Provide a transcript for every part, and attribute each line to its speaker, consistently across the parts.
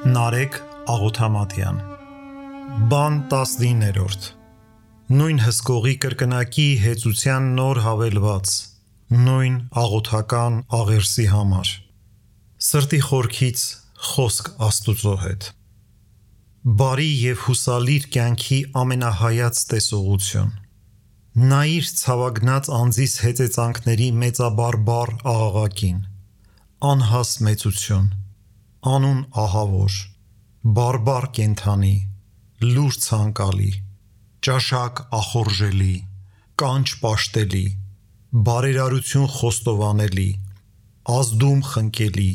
Speaker 1: Նարեկ Աղոթամատյան Բան 19-րդ Նույն հսկողի կրկնակի հեծության նոր հավելված Նույն աղոթական աղերսի համար Սրտի խորքից խոսք Աստուծո հետ Բարի և հուսալիր կյանքի ամենահայաց տեսողություն Նայիր ցավագնաց անձիս հեծեծանքների մեծաբարբար աղաղակին Անհաս մեծություն Անուն ահավոր, բարբար կենդանի, լուր ցանկալի, ճաշակ ախորժելի, կանչ պաշտելի, բարերարություն խոստովանելի, ազդում խնկելի,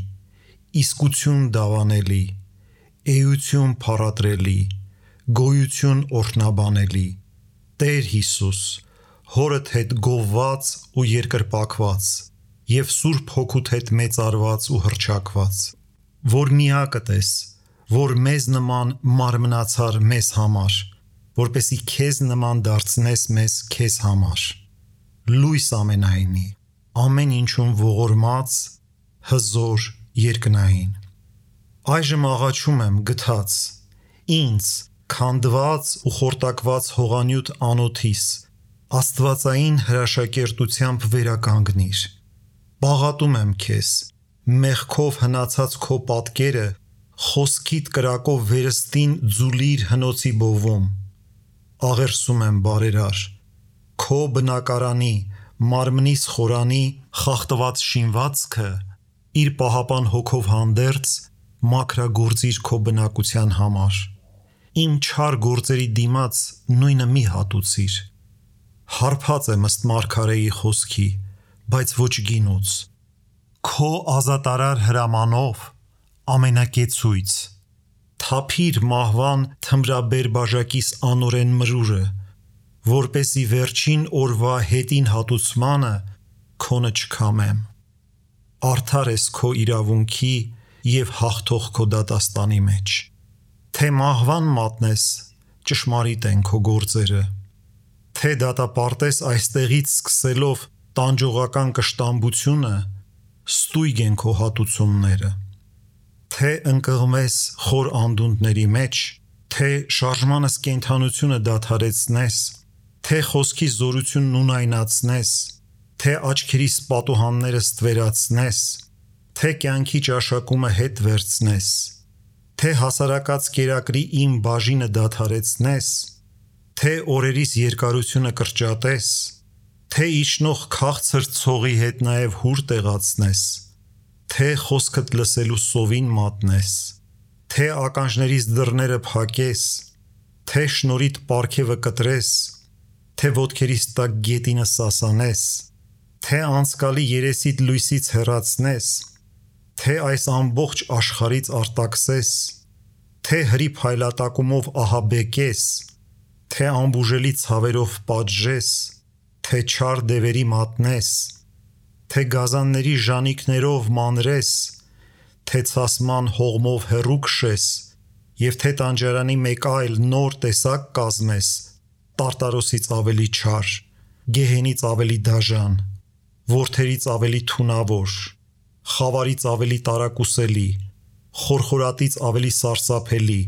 Speaker 1: իսկություն դավանելի, էություն փառատրելի, գոյություն օրհնաբանելի, Տեր Հիսուս, հորդ հետ գովված ու երկրպագված և Սուրբ Հոգուդ հետ մեծարված ու հռչակված Որ միակդ ես, որ մեզ նման մարմնացար մեզ համար, որպեսզի քեզ նման դարձնես մեզ քեզ համար, լույս ամենայնի, ամեն ինչում ողորմած, հզոր, երկնային, այժմ աղաչում եմ գթած, ինձ, քանդված ու խորտակված հողանյութ անոթիս, աստվածային հրաշակերտությամբ վերականգնիր, բաղատում եմ քեզ, մեղքով հնացած քո պատկերը խոսքիդ կրակով վերստին ձուլիր հնոցի բովում աղերսում եմ բարերար քո բնակարանի մարմնիս խորանի խախտված շինվածքը իր պահապան հոգով հանդերձ մաքրագործիր քո բնակության համար իմ չար գործերի դիմաց նույնը մի հատուցիր հարբած եմ ըստ մարգարեի խոսքի բայց ոչ գինուց Քո ազատարար հրամանով ամենակեցույց Թափիր մահվան թմրաբեր բաժակիս անօրեն մրուրը որպեսզի վերջին օրվա հետին հատուցմանը քոնը չքամեմ Արդար ես քո իրավունքի և հաղթող քո դատաստանի մեջ Թե մահվան մատնես ճշմարիտ են քո գործերը Թե դատապարտես այստեղից սկսելով տանջողական կշտամբությունը Ստույգ են քո հատուցումները Թե ընկղմես խոր անդունդների մեջ Թե շարժմանս կենդանությունը դադարեցնես Թե խոսքի զորությունն ունայնացնես Թե աչքերիս պատուհանները ստվերացնես Թե կյանքի ճաշակումը հետ վերցնես Թե հասարակած կերակրի իմ բաժինը դադարեցնես Թե օրերիս երկարությունը կրճատես Թե իջնող քաղցր ցողի հետ նաև հուր տեղացնես Թե խոսքդ լսելու սովին մատնես Թե ականջներիս դռները փակես Թե շնորհիդ պարգևը կտրես Թե ոտքերիս տակ գետինը սասանես Թե անցկալի երեսիդ լույսից հեռացնես Թե այս ամբողջ աշխարհից արտաքսես Թե հրի փայլատակումով ահաբեկես Թե անբուժելի ցավերով պատժես Թե չար դևերի մատնես Թե գազանների ժանիքներով մանրես Թե ցասման հողմով հեռու քշես Եվ թե տանջարանի մեկ այլ նոր տեսակ կազմես Տարտարոսից ավելի չար Գեհենից ավելի դաժան Որդերից ավելի թունավոր Խավարից ավելի տարակուսելի Խորխորատից ավելի սարսափելի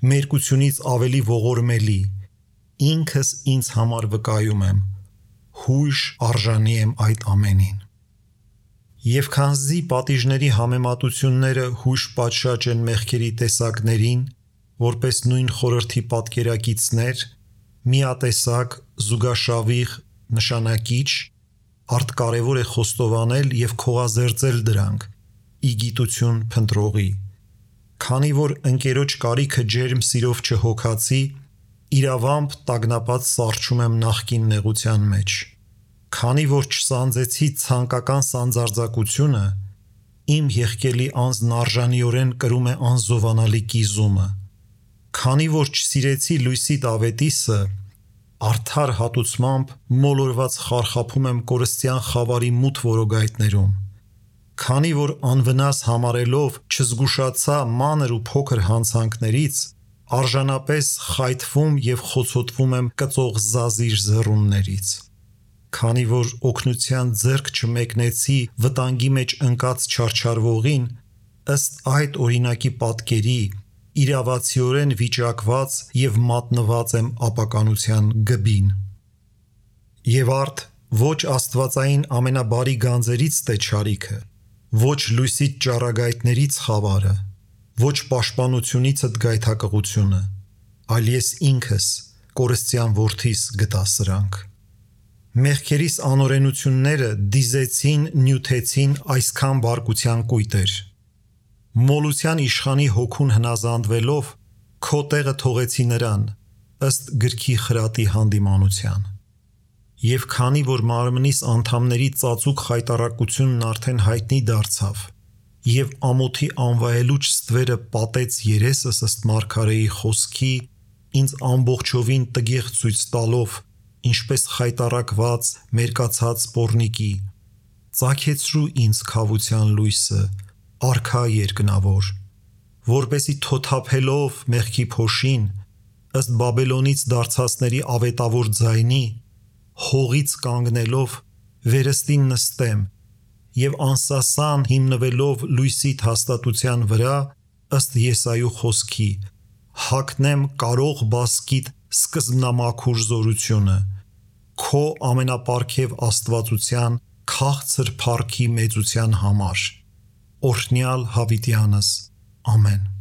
Speaker 1: Մերկությունից ավելի ողորմելի Ինքս ինձ համար վկայում եմ Հույժ արժանի եմ այդ ամենին Եվ քանզի պատիժների համեմատությունները հույժ պատշաճ են մեղքերի տեսակներին Որպես նույն խորհրդի պատկերակիցներ Միատեսակ, զուգաշավիղ, նշանակիչ Արտկարևոր է խոստովանել և քողազերծել դրանք Ի գիտություն փնտրողի Քանի որ ընկերոջ կարիքը ջերմ սիրով չհոգացի Իրավամբ տագնապած սառչում եմ նախկին նեղության մեջ Քանի որ չսանձեցի ցանկական սանձարձակությունը Իմ եղկելի անձն արժանիորեն կրում է անզովանալի կիզումը Քանի որ չսիրեցի լույսի Ավետիսը Արդար հատուցմամբ մոլորված խարխափում եմ կորստյան խավարի մութ որոգայթներում Քանի որ անվնաս համարելով չզգուշացա մանր ու փոքր հանցանքներից Արժանապես խայթվում և խոցոտվում եմ կծող զազիր զռուններից Քանի որ օգնության ձեռք չմեկնեցի վտանգի մեջ ընկած չարչարվողին ըստ այդ օրինակի պատկերի իրավացիորեն վիճակված և մատնված եմ ապականության գբին։ Եվ արդ ոչ աստվածային ամենաբարի գանձերից տե չարիքը, ոչ լույսից ճառագայթներից խավարը, ոչ պաշտպանությունիցդ գայթակղությունը, այլ ես ինքս կորստյան որդիս գտա սրանք։ Մեղքերիս անօրենությունները դիզեցին, նյութեցին այսքան բարկության կույտեր։ Մոլության իշխանի հոգուն հնազանդվելով քո տեղը թողեցի նրան, ըստ գրքի խրատի հանդիմանության։ Եվ քանի որ մարմնիս անդամների ծածուկ խայտառակությունն արդեն հայտնի դարձավ, և ամոթի անվայելուչ ստվերը պատեց երեսս ըստ մարգարեի խոսքի, ինձ ամբողջովին տգեղ ցույց տալով, ինչպես խայտառակված, մերկացած պոռնիկի, ծագեցրու ինձ քավության լույսը, արքա երկնավոր, որպեսի թոթափելով մեղքի փոշին, ըստ Բաբելոնից դարձածների ավետավոր ձայնի, հողից կանգնելով վերստին նստեմ և անսասան հիմնվելով լույսիդ հաստատության վրա, ըստ Եսայու խոսքի, հագնեմ կարող բասկիդ սկզբնամաքուր զորությունը, քո ամենապարգև աստվածության քաղցր փառքի մեծության համար։ Օրհնյալ Հավիտյանս, ամեն։